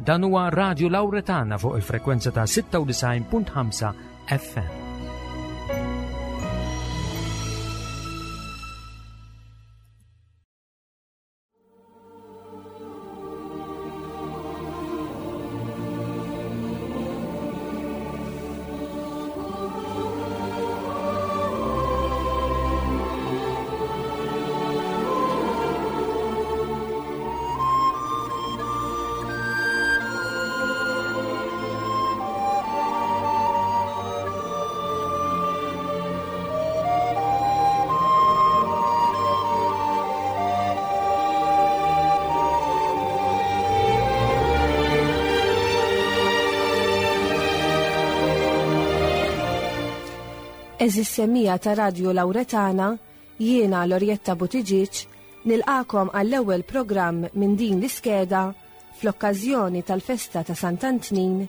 Dan huwa Radio Lauretana fuq il-frekwenza ta' 96.5 FM. Eżis semija ta' Radio Lauretana, jiena Lorjetta Buttigieg, nilqakom għall-ewwel programm minn din l-iskeda fl-okkażjoni tal-festa ta' Sant'Antnin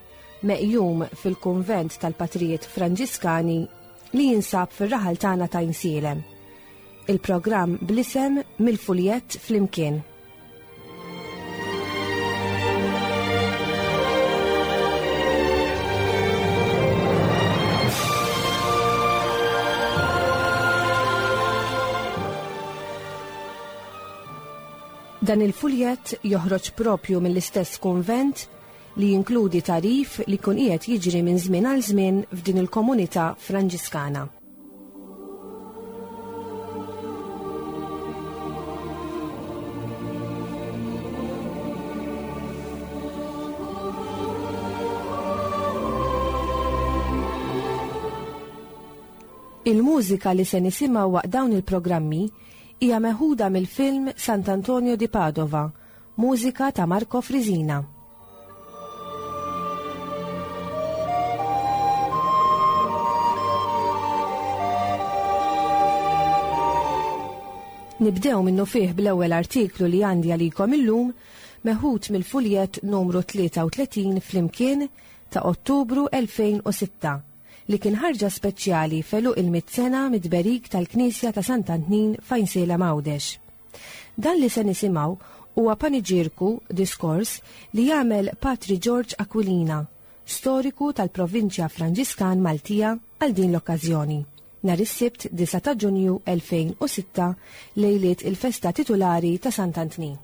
meqjum fil-kunvent tal-Patrijiet Franġiskani li jinsab fir-raħal tagħna ta' Insielem. Il-programm bl-isem Mill-Fuljett Flimkien. Dan il-fuljett joħroġ propju mill-istess kunvent li jinkludi tagħrif li jkun qiegħed jiġri minn żmien għal żmien f'din il-komunità Franġiskana. Il-mużika li se nisimgħu waqt dawn il-programmi hija meħuda mill-film Sant'Antonio di Padova, mużika ta' Marco Frisina. Nibdew minnufih bl-ewwel artiklu li għandi għalikom illum meħud mill-fuljett numru 33 flimkien ta' Ottubru 2006 li kien ħarġa speċjali f'għeluq il-mitt sena mit-tberik tal-Knisja ta' Sant'Antnin f'Għajnsielem Għawdex. Dan li se nisimgħu huwa paniġierku, diskors, li jagħmel Patri George Aquilina, storiku tal-Provinċja Franġiskan Maltija għal din l-okkażjoni, nhar is-Sibt 9 ta' Ġunju 2006 lejliet il-festa titulari ta' Sant'Antnin.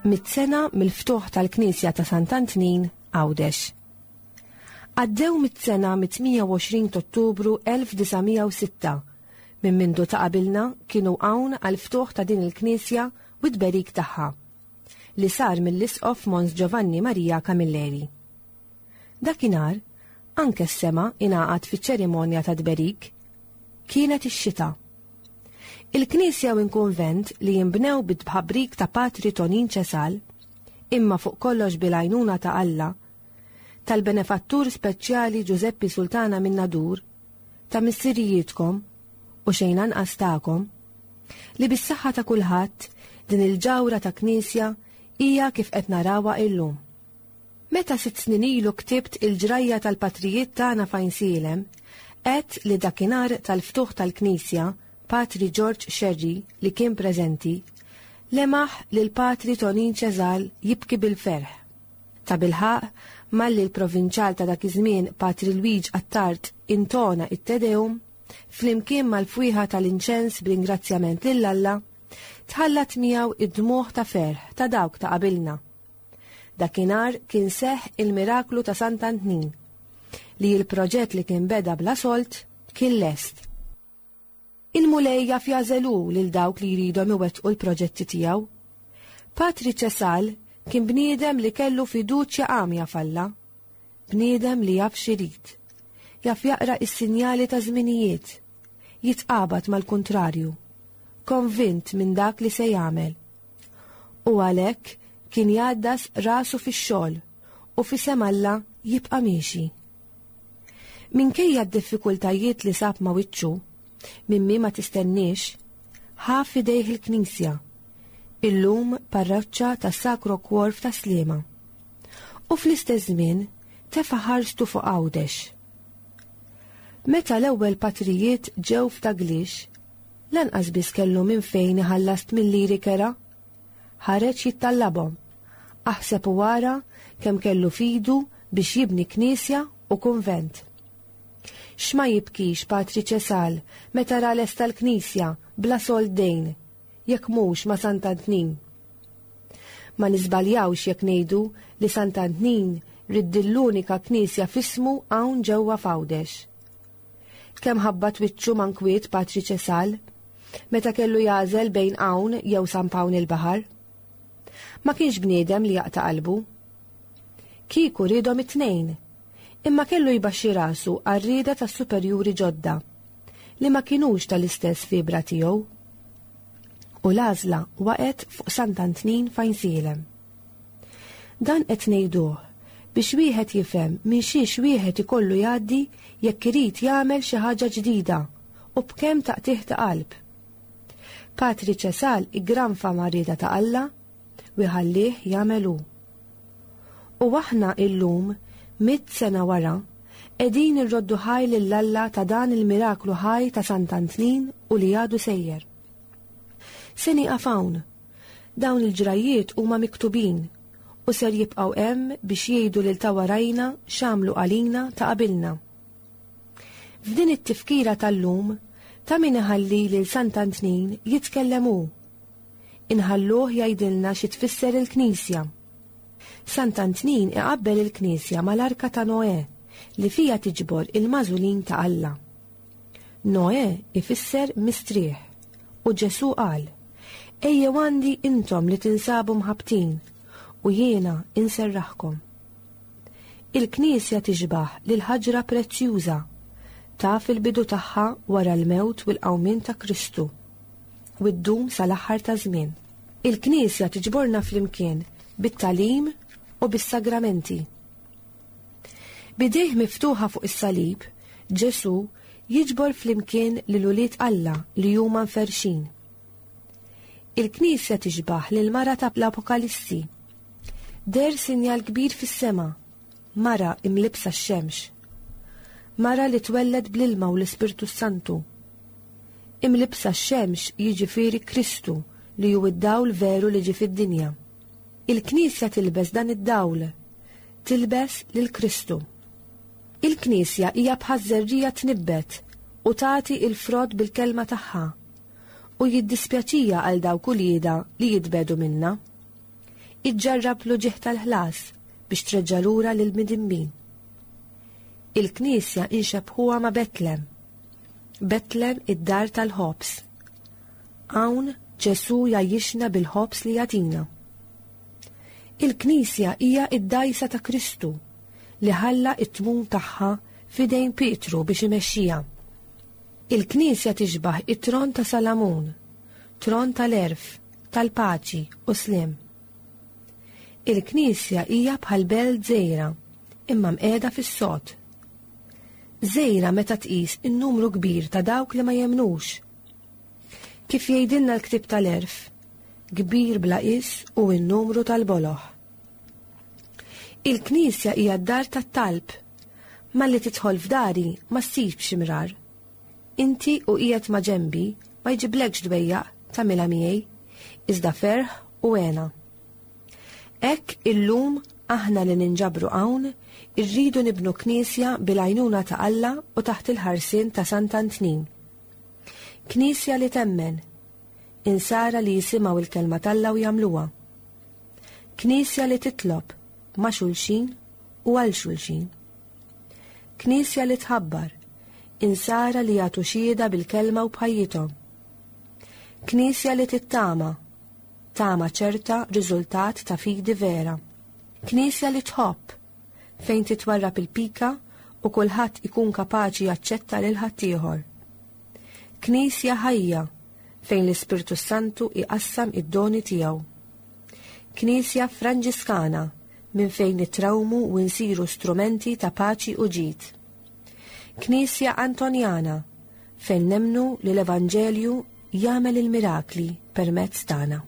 Mit-sena mill-ftuħ tal-Knisja ta' Sant'Antnin, Għawdex. Għaddew mit-sena mit-28 t'Ottubru 1906 minn mindu ta' qabilna kienu hawn għall-ftuħ ta' din il-knisja u t-tberik tagħha, li sar mill-Isqof Mons Giovanni Maria Camilleri. Dakinhar, anke s-sema ingħaqad fiċ-ċerimonja tat-tberik. Kienet ix-xita. Il-knisja u l-kunvent li jinbnew bit-tħabrik ta' Patri Tonin Cesal, imma fuq kollox bil-għajnuna ta' Alla, tal-benefattur speċjali Ġużeppi Sultana minn Nadur, ta' missirijietkom u xejn anqas tagħkom, li bis-saħħa ta' kulħadd din il-ġawhra ta' knisja hija kif qed narawha illum. Meta sitt snin ilu ktibt il-ġrajja tal-patrijiet tagħna f'Għajnsielem, għedt li dakinhar tal-ftuħ tal-knisja, Patri Ġorġ Scerri, li kien preżenti, lemaħ lil Patri Tonin Cesal jibki bil-ferħ. Tabilħaqq, malli l-Provinċjal ta' dak iż-żmien Patri Lwiġ Attard intona it-Te Deum, flimkien mal-fwieħa tal-inċens b'ringrazzjament lil Alla, tħallat miegħu id-dmugħ ta' ferħ ta' dawk ta' qabilna. Dakinhar kien seħħ il-miraklu ta' Sant'Antnin, li l-proġett li kien beda bla sold kien lest. Il-Mulej jaf jagħżel hu lil dawk li jridhom iwettqu l-proġetti tiegħu. Patri Cesal kien bniedem li kellu fiduċja għamja f'Alla. Bniedem li jaf x'irid. Jaf jaqra s-sinjali ta' żminijiet. Jitqabad mal-kuntrarju. Konvint minn dak li se jagħmel. U għalhekk kien jgħaddas rasu fix-xogħol u f'isem Alla jibqa' miexi. Minkejja d-diffikultajiet li sab ma' wiċċu, minn min ma tistenniex, ħa f'idejh il-knisja, illum parroċċa tas-Sacro Cuor f'Tas-Sliema. U fl-istess żmien tefa' ħarstu fuq Għawdex. Meta l-ewwel patrijiet ġew f'Taglix, lanqas biss kellu minn fejn iħallas tmilliri kera. Ħareġ jittallabhom. Aħseb u ara kemm kellu f'idu biex jibni knisja u kunvent. X'ma jibkix Patri Ċesal meta ra lesta l-knisja bla sold dejn, jekk mhux ma' Sant'Antnin. Ma niżbaljawx jekk ngħidu li Sant'Antnin ried din l-unika knisja f'ismu hawn ġewwa f'Għawdex. Kemm ħabbat wiċċu ma' nkwiet Patri Ċesal meta kellu jagħżel bejn hawn jew San Pawn il-Baħar. Ma kienx bniedem li jaqta' qalbu. Kieku riedhom it-tnejn, imma kellu jbaxxi rasu għar-rieda tas-superjuri ġodda, li ma kinux tal-istess fibra tiegħu. U l-għażla waqgħet fuq Sant'Antnin f'Għajnsielem. Dan qed ngħiduh biex wieħed jifhem minn xiex wieħed ikollu jgħaddi jekk irid jagħmel xi ħaġa ġdida u b'kemm taqtigħ ta' qalb. Patri Ċesal iggranfa mar-rieda ta' Alla u jħallih jagħmel hu. U aħna illum, mitt sena wara, qegħdin irroddu ħaj lil Alla ta' dan il-miraklu ħaj ta' Sant'Antnin u li għadu sejjer. Se nieqaf hawn. Dawn il-ġrajjiet huma miktubin u ser jibqgħu hemm biex jgħidu lil ta' warajna x'għamlu għalina ta' qabilna. F'din it-tifkira tal-lum, ta' min iħalli lil Sant'Antnin jitkellem hu. Inħalluh jgħidilna xi tfisser il-Knisja. Sant'Antnin iqabbel il-Knisja mal-Arka ta' Noè li fiha tiġbor il-magħżulin ta' Alla. Noè ifisser mistrieħ u Ġesù qal, Ejjew għandi intom li tinsabu mħabbtin u jiena inserraħkom. Il-Knisja tixbah lil ħaġra prezzjuża, taf il-bidu tagħha wara l-mewt u l-qawmien ta' Kristu u ddum sal-aħħar taż-żmien. Il-Knisja tiġborna flimkien bit-tagħlim u bis-sagramenti. B'idejh miftuħa fuq is-salib, Ġesù jiġbor flimkien lil ulied Alla li huma mferrxin. Il-Knisja tixbah lil mara ta' l-Apokalissi. Deher sinjal kbir fis-sema, mara imlibbsa x-xemx. Mara li twelled bl-ilma u l-Ispirtu s-Santu. Imlibbsa x-xemx jiġifieri Kristu li hu d-dawl veru li ġie fid-dinja. Il-Knisja tilbes dan id-dawl, tilbes lil Kristu. Il-Knisja hija bħaż-żerriegħa tnibbet u tagħti l-frott bil-kelma tagħha, u jiddispjaċiha għal dawk uliedha li jitbiegħdu minnha. Iġġarrab l-uġigħ tal-ħlas biex treġġa' lura lill-midinbin. Il-Knisja inxebbħuha ma' Betlem. Betlem id-dar tal-ħobż. Hawn Ġesù jgħajjixna bil-ħobż li jagħtina. Il-Knisja hija d-dgħajsa ta' Kristu li ħalla t-tmun tagħha f'idejn Pietru biex imexxiha. Il-Knisja tixbah it-tron ta' Salamun, tron tal-għerf, tal-paċi u sliem. Il-Knisja hija bħal belt żgħira imma mqiegħda fis-sod. Żgħira meta tqis in-numru kbir ta' dawk li ma jemmnux. Kif jgħidilna l-ktieb tal-Għerf, kbir bla qies hu n-numru tal-boloh. Il-knisja hija d-dar tat-talb. Malli tidħol f'dari ma ssibx imrar. Inti u qiegħed ma' ġenbi ma jġiblekx dwejjaq tagħmilha miegħi, iżda ferħ u hena. Hekk illum aħna li ninġabru hawn irridu nibnu knisja bil-għajnuna ta' Alla u taħt il-ħarsien ta' Sant'Antnin. Knisja li temmen, insara li jisimgħu l-kelma t'Alla u jagħmluha. Knisja li titlob ma' xulxin u għal xulxin. Knisja li tħabbar, insara li jagħtu xhieda bil-kelma u b'ħajjithom. Knisja li tittama, tama ċerta riżultat ta' fidi vera. Knisja li tħobb, fejn titwarrab il-pika u kulħadd ikun kapaċi jaċċetta lil ħaddieħor. Knisja ħajja fejn l-Ispirtu s-Santu iqassam id-doni tiegħu. Knisja Franġiskana minn fejn nitrawmu u nsiru strumenti ta' paċi u ġid. Knisja Antonjana fejn nemmnu li l-Evanġelju jagħmel il-mirakli permezz tagħna.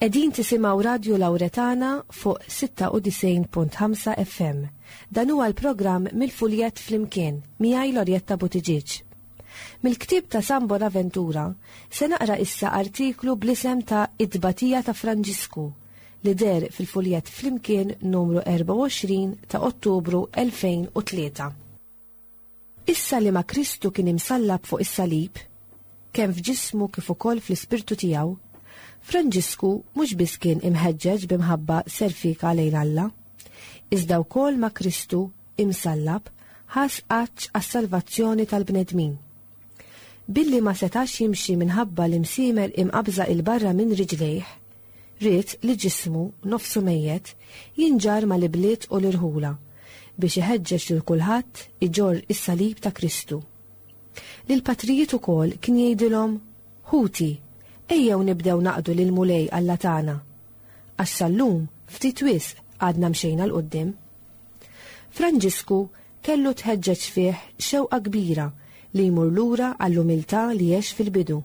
Qegħdin tisimgħu Radju Lawretana fuq 96.5 FM. Dan huwa l-programm Mill-Fuljett Flimkien miegħi Lorjetta Buttigieg. Mill-ktieb ta' San Bonaventura se naqra issa artiklu bl-isem ta' It-Tbatija ta' Franġisku li deher fil-Fuljett Flimkien numru 24 ta' Ottubru 2003. Issa li ma' Kristu kien imsallab fuq is-salib, kemm f'ġismu kif ukoll fl-ispirtu tiegħu, Franġisku mhux biss kien imħeġġeġ bi mħabba serfika lejn Alla, iżda wkoll ma' Kristu imsallab ħass għatx għas-salvazzjoni tal-bnedmin. Billi ma setax jimxi minħabba l-imsiemer imqabbża 'il barra minn riġlejh, ried li ġismu, nofsu mejjet, jinġarr mal-ibliet u l-irħula, biex iħeġġeġ lil kulħadd iġorr is-salib ta' Kristu. Lill-patrijiet ukoll kien jgħidilhom, Ħuti, ejjew nibdew naqdu lill-Mulej Alla tagħna, għax sal-lum ftit wisq għadna mxejna 'l quddiem. Franġisku kellu tħeġġeġ fih xewqa kbira li jmur lura għall-umiltà li għex fil-bidu,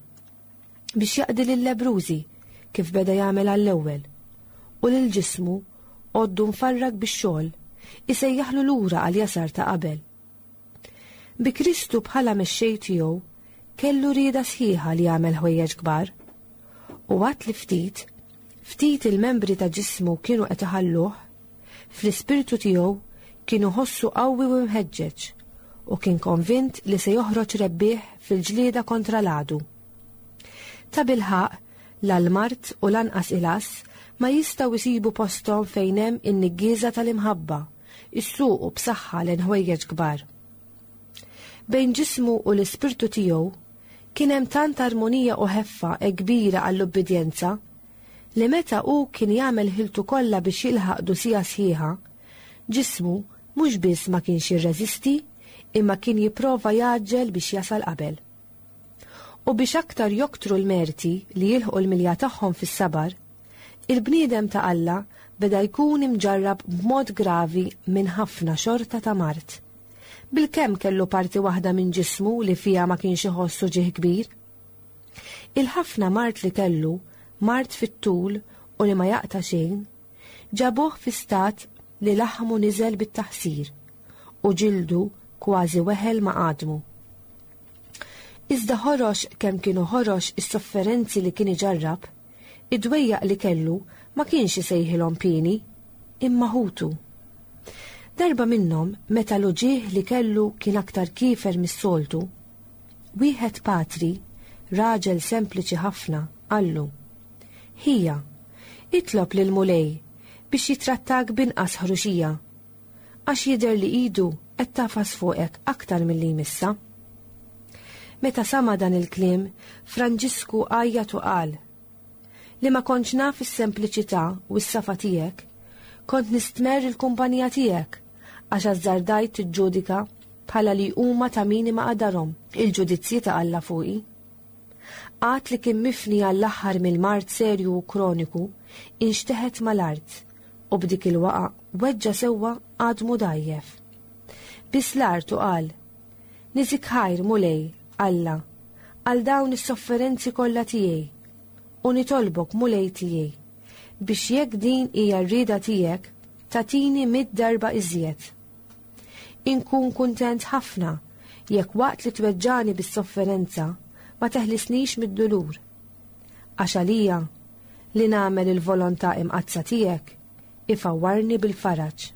biex jaqdi lil-lebbrużi kif beda jagħmel għall-ewwel, u lil ġismu, għoddu mfarrak bix-xogħol, isejjaħlu lura għall-jasar ta' qabel. Bi Kristu bħala mexxej tiegħu, kellu rieda sħiħa li jagħmel ħwejjeġ kbar. U għad li ftit, ftit il-membri ta' ġismu kienu qed iħalluh, Fl-ispirtu tiegħu kien iħossu qawwi u mħeġġeġ u kien konvint li se joħroġ rebbieħ fil-ġlieda kontra l-għadu. Tabilħaqq, la l-mard u lanqas il-għażż ma jistgħu jsibu posthom fejn hemm in-niggieża tal-imħabba, issuqu b'saħħa lejn ħwejjeġ kbar. Bejn ġismu u l-ispirtu tiegħu kien hemm tant armonija u ħeffa hekk kbira għall-ubbidjenza li meta hu kien jagħmel ħiltu kollha biex jilħaq dusija sħiħa, ġismu mhux biss ma kienx jirreżisti imma kien jipprova jgħaġġel biex jasal qabel. U biex aktar joktru l-merti li jilħqu l-milja tagħhom fis-sabar, il-bniedem ta' Alla beda jkun imġarrab b'mod gravi minn ħafna xorta ta' mard. Bilkemm kellu parti waħda minn ġismu li fiha ma kienx iħoss uġigħ kbir. Il-ħafna mard li kellu, mard fit-tul u li ma jaqta' xejn, ġabuh fi stat li laħmu niżel bit-taħsir u ġildu kważi weħel ma' għadmu. Iżda ħorox kemm kienu ħorox is-sofferenzi li kien iġarrab, id-dwejjaq li kellu ma kienx isejħilhom pieni, imma ħutu. Darba minnhom meta l-uġigħ li kellu kien aktar kiefer mis-soltu, Wieħed patri, raġel sempliċi ħafna, qallu, Ħija, itlob lill-Mulej biex jittrattak b'inqas ħruxija, għax jidher li idu qed tagħfas fuqek aktar milli jmissha. Meta sama' dan il-kliem, Franġisku għajjat u qal, Li ma kontx naf is-sempliċità u s-safa tiegħek, kont nistmerr il-kumpanija tiegħek, għax azzardajt tiġġudika bħala li huma ta' min imaqdarhom il-ġudizzji ta' Alla fuqi. Għad li kien mifni għall-aħħar mill-mard serju u kroniku, inxteħet mal-art u b'dik il-waqgħa weġġa' sewwa għadmu dgħajjef. Biss l-art u qal, Niżik ħajr, Mulej, Alla, għal dawn is-sofferenzi kollha tiegħi, u nitolbok, Mulej tiegħi, biex jekk din hija r-rieda tiegħek, tagħtini mitt darba iżjed. Inkun kuntent ħafna jekk waqt li tweġġagħni bis-sofferenza ma teħlisnix mid-dulur. Għax għalija, li nagħmel il-volontà imqaddsa tiegħek ifawwarni bil-faraġ.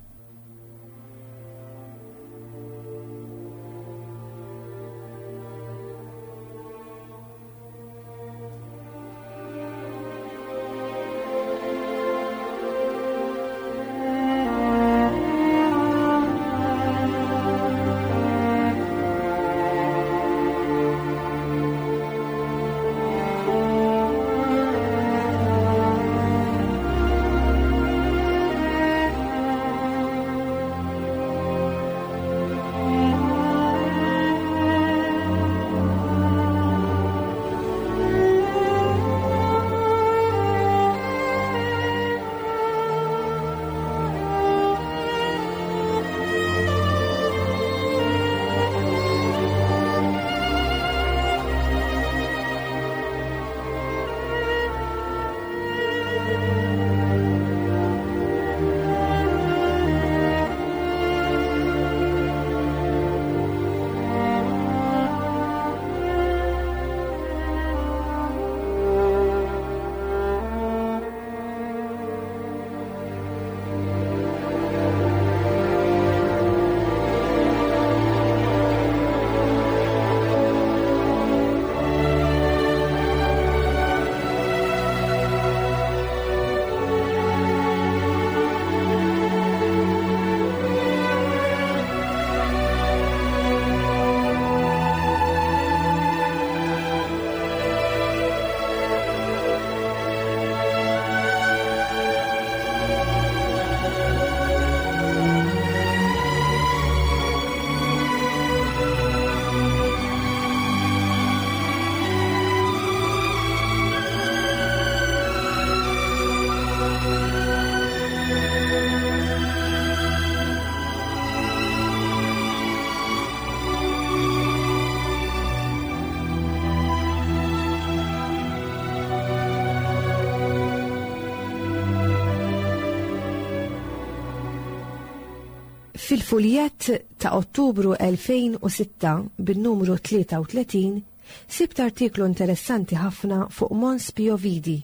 Fil-fuljett ta' Ottubru 2006 bin-numru 33 sibt artiklu interessanti ħafna fuq Mons Pio Vidi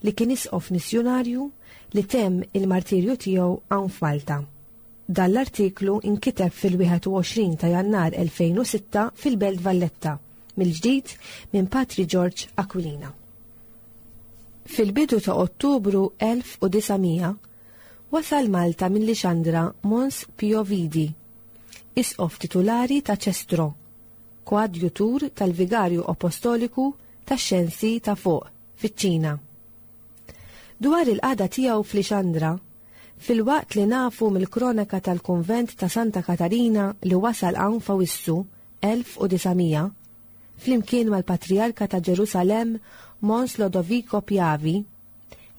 li kien isqof missjunarju li temm il-martirju tiegħu hawn f'Malta. Dan l-artiklu inkiteb fil-21 ta' Jannar 2006 fil-Belt Valletta, mill-ġdid minn Patri George Aquilina. Fil-bidu ta' Ottubru 1900 wasal Malta minn Lixandra Mons Pio Vidi, isqof titulari ta' Ċestro, koadjutur tal-Vigarju Apostoliku tax-Xensi ta' Fuq, fiċ-Ċina. Dwar il-qagħda tiegħu f'Lixandra, filwaqt li nafu mill-kronaka tal-kunvent ta' Santa Katarina li wasal hawn f'Awissu 1900, flimkien mal-Patrijarka ta' Ġerusalemm Mons Lodovico Piavi,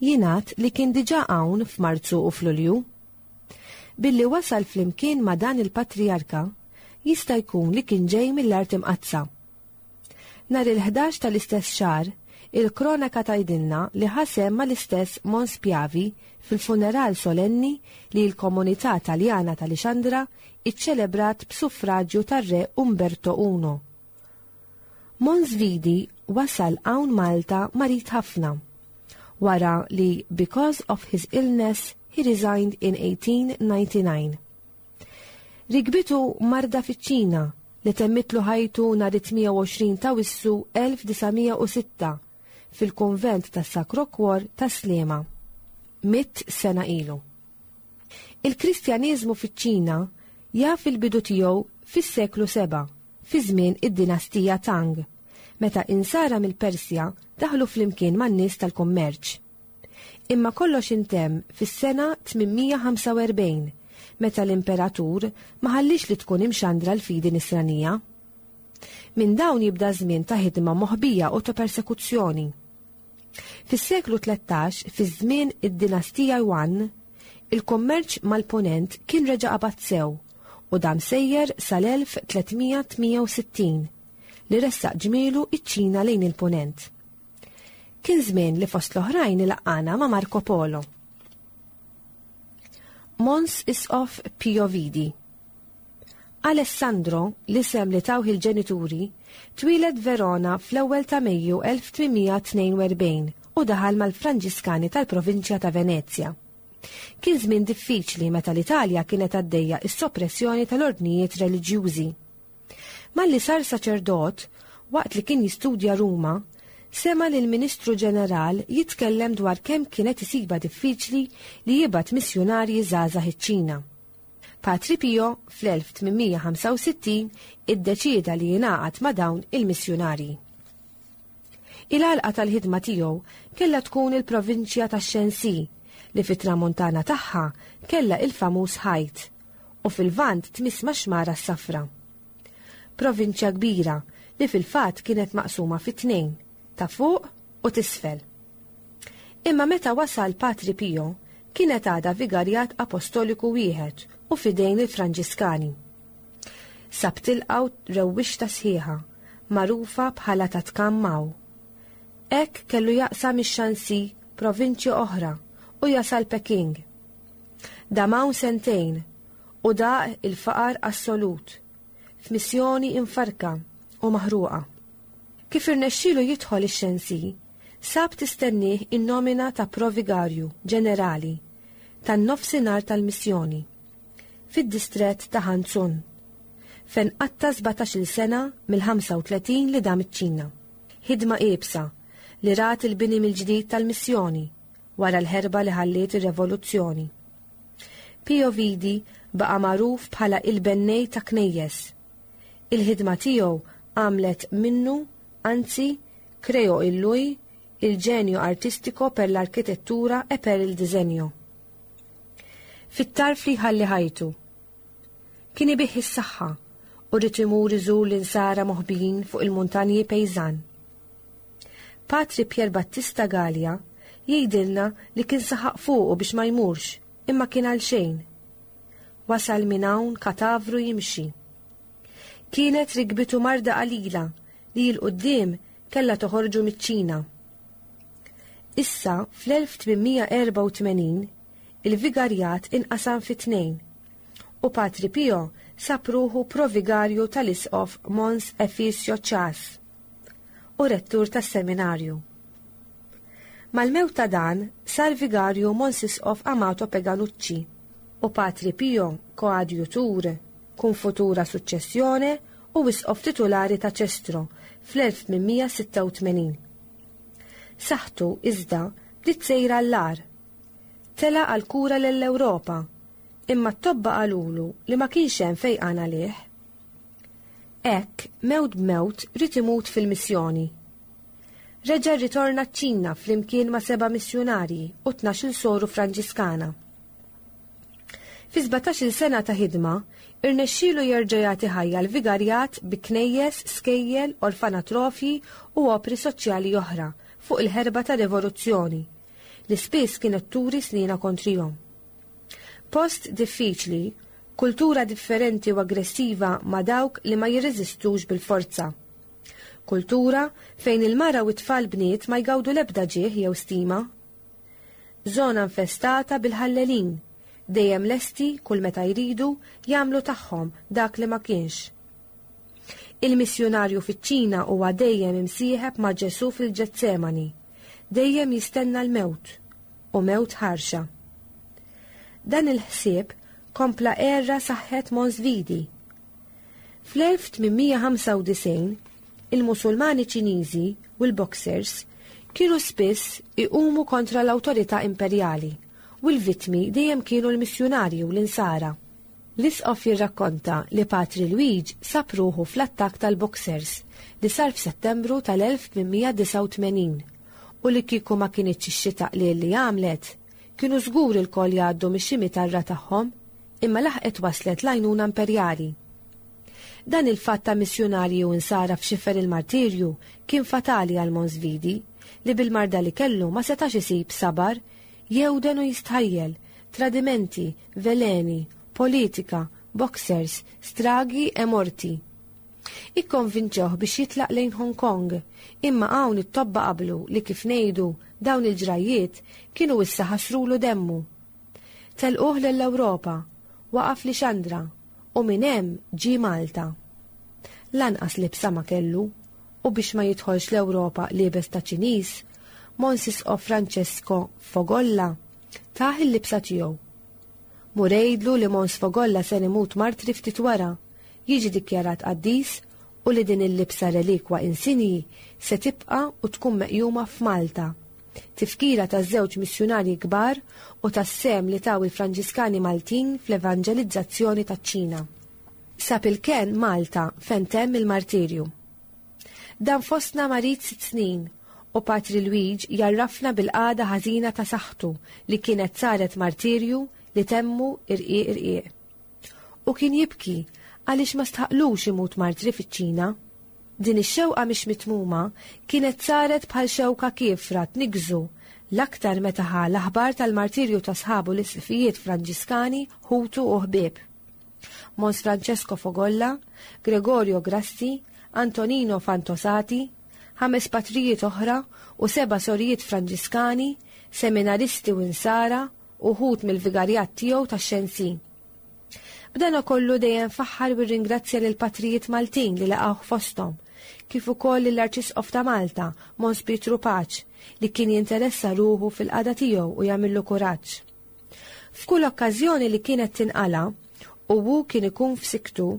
jingħad li kien diġà hawn f'Marzu u f'Lulju. Billi wasal flimkien ma' dan il-Patrijarka, jista' jkun li kien ġej mill-Art Imqaddsa. Nhar il-ħdax tal-istess xahar, il-kronaka tgħidilna li ħa sehem mal-istess Mons Piavi fil-funeral solenni li l-komunità Taljana ta' Lixandra iċċelebrat b'suffraġju tar-Re Umberto I. Mons Vidi wasal hawn Malta marid ħafna, wara li because of his illness he resigned in 1899. Rikbitu marda fiċ-Ċina li temmitlu ħajtu nhar it-28 ta' Wissu 1906 fil-kunvent tas-Sacro Cuor ta' Sliema, mitt sena ilu. Il-Kristjaneżmu fiċ-Ċina jaf il-bidu tiegħu fis-seklu 7, fi żmien id-dinastija Tang, meta insara mill-Persja daħlu flimkien man-nies tal-kummerċ. Imma kollox intemm fis-sena 845, meta l-imperatur ma ħalliex li tkun imxandra l-fidi nisranija. Minn dawn jibda żmien ta' ħidma moħbija u ta' persekuzzjoni. Fis-seklu 13, fi żmien id-dinastija Yuan, il-kummerċ mal-Punent kien reġa' qabad sew u dam sejjer sal-1368 li ressaq ġmielu iċ-Ċina lejn il-Punent. Kien żmien li fost l-oħrajn ilaqqana ma' Marco Polo. Mons Isqof Pio Vidi. Alessandro, l-isem li tawh il-ġenituri, twieled Verona fl-ewwel ta' Mejju 1842 u daħal mal-Franġiskani tal-provinċja ta' Venezja. Kien żmien diffiċli meta l-Italja kienet għaddejja s-soppressjoni tal-ordnijiet reliġjużi. Malli sar saċerdot, waqt li kien jistudja Ruma, sema' lill-Ministru Ġeneral jitkellem dwar kemm kienet isibha diffiċli li jibgħat missjunarji żgħażagħ iċ-Ċina. Patri Pio, fl-1865, iddeċieda li jingħaqad ma' dawn il-missjunarji. Il-għalqa tal-ħidma tiegħu kellha tkun il-provinċja ta' Shenxi li fit-tramuntana tagħha kellha il-famuż ħajt u fil-Lvant tmiss max-Xmara s-Safra. Provinċja kbira li fil-fatt kienet maqsuma fi tnejn, ta' fuq u t'isfel. Imma meta wasal Patri Pio, kienet għadha vigarjat apostoliku wieħed u f'idejn il-Franġiskani. Sab tilqgħu rewwixta sħiħa, magħrufa bħala ta' Tkam Mao. Hekk kellu jaqsam ix-Shanxi provinċja oħra u jasal Peking. Dam hawn sentejn u daq il-faqar assolut, f'missjoni imfarrka u maħruqa. Kif irnexxielu jidħol ix-Shanxi, sab tistennieh in-nomina ta' provigarju ġenerali tan-nofsinhar tal-missjoni, fid-distrett ta' Hanzhong, fejn qatta' sbatax-il sena mill-35 li dam iċ-Ċina. Ħidma iebsa li rat il-bini mill-ġdid tal-missjoni wara l-ħerba li ħalliet ir-revoluzzjoni. Pio Vidi baqa' magħruf bħala il-bennej ta' knejjes. Il-ħidma tiegħu għamlet minnu, anzi, creo in lui il genio artistico per l'architettura e per il disegno. Fit-tarf li jħalli ħajtu. Kien ibigħ is-saħħa u ried imur iżur l-insara moħbijin fuq il-muntanji Pejżan. Patri Pier Battista Galea jgħidilna li kien saħaq fuqu biex ma jmurx, imma kien għalxejn. Wasal minn hawn katavru jimxi. Kienet rikbitu marda qalila li 'l quddiem kellha toħorġu miċ-Ċina. Issa fl-1884 il-vigarjat inqasam fi tnejn. U Patri Pio sab ruħu provigarju tal-Isqof Mons Efisio Ċas u rettur tas-seminarju. Mal-mewt ta' dan sar vigarju Mons Isqof Amato Peganucci u Patri Pio koadjutur kun futura successione u Isqof titulari ta' Cestro fl-1886. Saħħtu, iżda, bdiet sejra għall-agħar. Telaq għall-kura lell-Ewropa, imma t-tobba qalulu li ma kienx hemm fejqan għalih. Hekk, mewt b'mewt, ried imut fil-missjoni. Reġa' rritorna ċ-Ċina flimkien ma' seba' missjunarji u 12-il soru Franġiskana. Fi 17-il sena ta' ħidma, irnexxielu jerġa' jagħti ħajja l-vigarjat bi knejjes, skejjel, orfanatrofji u opri soċjali oħra fuq il-ħerba tar-rivoluzzjoni, li spiss kienet turi snienha kontrihom. Post diffiċli, kultura differenti u aggressiva ma' dawk li ma jirreżistux bil-forza. Kultura fejn il-mara u t-tfal bniet ma jgawdu l-ebda ġieħ jew stima. Żona infestata bil-ħallelin, dejjem lesti kull meta jridu jagħmlu tagħhom dak li ma kienx. Il-missjunarju fiċ-Ċina huwa dejjem imsieħeb ma' Ġesù fil-Ġetsemani, dejjem jistenna l-mewt, u mewt ħarxa. Dan il-ħsieb kompla għerra saħħet Mons Vidi. Fl-1895, il-Musulmani Ċiniżi u l-Boxers kienu spiss iqumu kontra l-awtorità imperjali u l-vittmi dejjem kienu l-missjunarji u l-Insara. L-Isqof jirrakkonta li Patri Lwiġ sab ruħu fl-attakk tal-Boxers li sar f'Settembru tal-1889 u li kieku ma kinitx ix-xita qliel li għamlet, kienu żgur ilkoll jgħaddu mix-ximitarra tagħhom, imma laħqet waslet l-għajnuna imperjali. Dan il-fatt ta' missjunarji u insara f'xifer il-martirju kien fatali għal Mons Vidi, li bil-marda li kellu ma setax isib sabar, jewden u jistħajjel, tradimenti, veleni, politika, boxers, stragi e morti. Ikkonvinċewh biex jitlaq lejn Hong Kong, imma hawn it-tobba qablu li kif ngħidu dawn il-ġrajjiet kienu issa ħassrulu demmu. Telquh lill-Ewropa, waqaf Lixandra u minn hemm ġie Malta. Lanqas libsa ma kellu u biex ma jidħolx l-Ewropa liebes ta' Ċiniż, Mons Isqof Francesco Fogolla tah il-libsa tiegħu. Mur għidlu li Mons Fogolla ser imut martri ftit wara, jiġi dikjarat qaddis u li din il-libsa relikwa insinji se tibqa' u tkun meqjuma f'Malta. Tifkira taż-żewġ missjunarji kbar u tas-sehem li taw il-Franġiskani Maltin fl-evanġelizzazzjoni taċ-Ċina. Sab il-kenn Malta fejn temm il-martirju. Dan fostna marid sitt snin u Patri Lwiġ jgħarrafna bil-qagħda ħażina ta' saħħtu li kienet saret martirju li temmu irqiq irqiq. U kien jibki għaliex ma stħaqlux imut martri fiċ-Ċina. Din ix-xewqa mhix mitmuma kienet saret bħal xewka kiefra tniggżu l-aktar meta ħa l-aħbar tal-martirju ta' sħabu l-isqfijiet Franġiskani ħutu u ħbieb. Mons Francesco Fogolla, Gregorio Grassi, Antonino Fantosati, ħames patrijiet oħra u seba' sorijiet Franġiskani, seminaristi u insara, uħud mill-vigarjat tiegħu tax-Xensi. B'dan kollu dejjem faħħar u rringrazzja lill-patrijiet Maltin li laqgħuh fosthom, kif ukoll lill-Arċisqof ta' Malta, Mons Pietru Paċ, li kien jinteressa ruħu fil-qagħda tiegħu u jagħmillu kuraġġ. F'kull okkażjoni li kienet tinqala' u hu kien ikun f'siktu,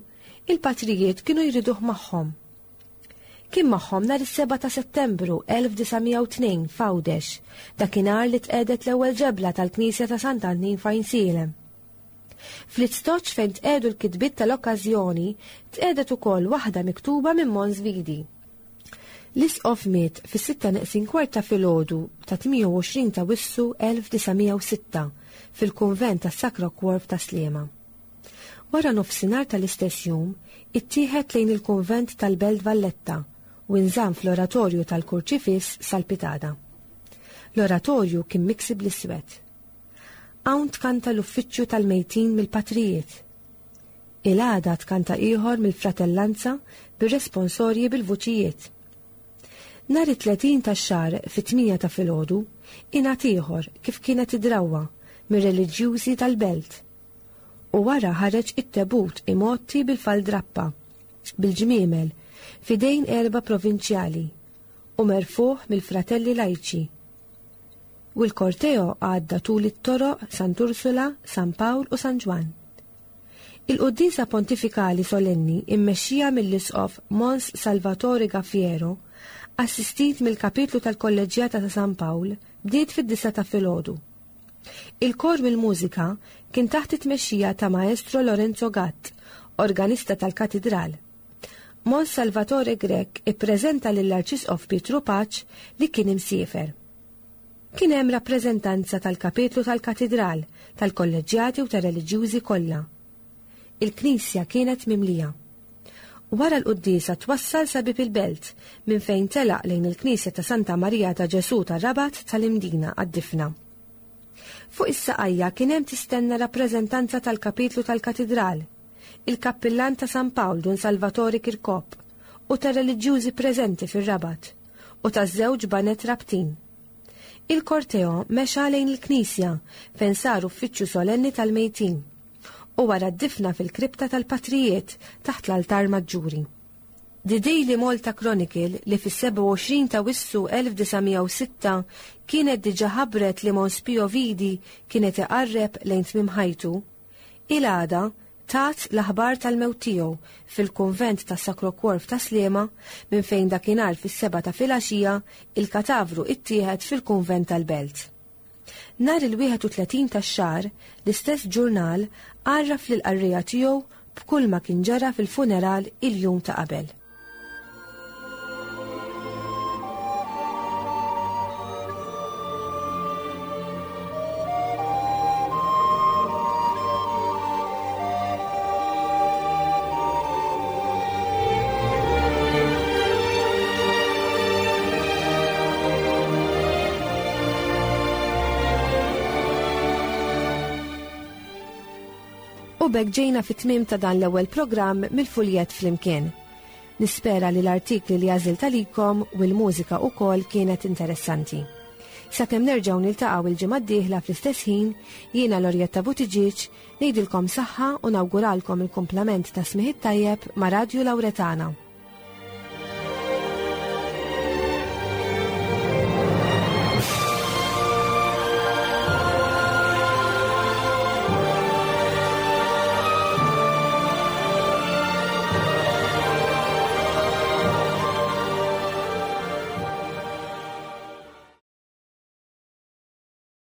il-patrijiet kienu jriduh magħhom. Kien magħhom nhar is-7 ta' Settembru 1902 f'Għawdex, dakinhar li tqiegħdet l-ewwel ġebla tal-Knisja ta' Sant'Antnin f'Għajnsielem. Fl-istoċ fejn tqiegħdu l-kitbiet tal-okkażjoni tqiegħdet ukoll waħda miktuba minn Mons Vidi. L-Isqof miet fis-sitta neqsin kwart ta' filgħodu ta' 28 ta' Wissu 1906 fil-Kunvent tas-Sacro Cuor f'Tas-Sliema. Wara nofsinhar tal-istess jum, ittieħed lejn il-kunvent tal-Belt Valletta u inżamm fl-oratorju tal-Kurċifiss sal-pitada. L-oratorju kien miksi bl-iswed. Hawn tkanta l-uffiċċju tal-mejtin mill-patrijiet. Il-għada tkanta ieħor mill-fratellanza bir-responsorji bil-vuċijiet. Nhar it-30 tax-xahar fit-tmienja ta' filgħodu, ingħad ieħor kif kienet id-drawwa mir-reliġjużi tal-belt. U wara ħareġ it-tebut imgħotti bil-faldrappa, bil-ġmiemel, f'idejn erba' provinċjali, u merfugħ mill-fratelli lajċi. U l-korteo għadda tul it-toroq Sant'Ursula, San Pawl u San Ġwann. Il-quddiesa pontifikali solenni immexxija mill-Isqof Mons Salvatore Gaffiero, assistit mill-Kapitlu tal-Kolleġġjata ta' San Pawl, bdiet fid-disgħa ta' filgħodu. Il-kor mill-mużika kien taħt it-tmexxija ta' Maestro Lorenzo Gatt, organista tal-Katidral. Mons Salvatore Grech ippreżenta lill-Arċisqof Pietru Paċ li kien imsiefer. Kien hemm rappreżentanza tal-Kapitlu tal-Katidral, tal-Kolleġġjati u tar-reliġjużi kollha. Il-knisja kienet mimlija. Wara l-quddiesa twassal sa bieb il-belt, minn fejn telaq lejn il-knisja ta' Santa Marija ta' Ġesù tar-Rabat tal-Imdina għad-difna. Fuq is-saqajja kien hemm tistenna rappreżentanza tal-Kapitlu tal-Katidral, il-Kappillan ta' San Pawl Dun Salvatore Kirkop u tar-reliġjużi preżenti fir-Rabat u taż-żewġ baned Rabtin. Il-korteo mexa lejn il-knisja fejn sar uffiċċju solenni tal-mejtin u wara d-difna fil-kripta tal-patrijiet taħt l-altar maġġuri. The Daily Malta Chronicle li fis-27 ta' Wissu 1906 kienet diġà ħabbret li Mons Pio Vidi kienet iqarreb lejn tmiem ħajtu, il-għada tat l-aħbar tal-mewt tiegħu fil-kunvent tas-Sacro Cuor f'Tas-Sliema minn fejn dakinhar fis-sebgħa ta' filgħaxija il-katavru ittieħed fil-kunvent tal-Belt. Nhar il-31 tax-xahar, l-istess ġurnal għarraf lill-qarrejja tiegħu b'kulma kien ġara fil-funeral il-jum ta' qabel. U b'hekk ġejna fit-tmiem ta' dan l-ewwel programm mill-Fuljett Flimkien. Nispera li l-artikli li għażilt għalikom u l-mużika ukoll kienet interessanti. Sakemm nerġgħu niltaqgħu il-ġimgħa d-dieħla fl-istess ħin, jiena Lorjetta Buttigieg ngħidilkom saħħa u nawguralkom il-kumplament ta' smigħ it-tajjeb ma' Radju Lawretana.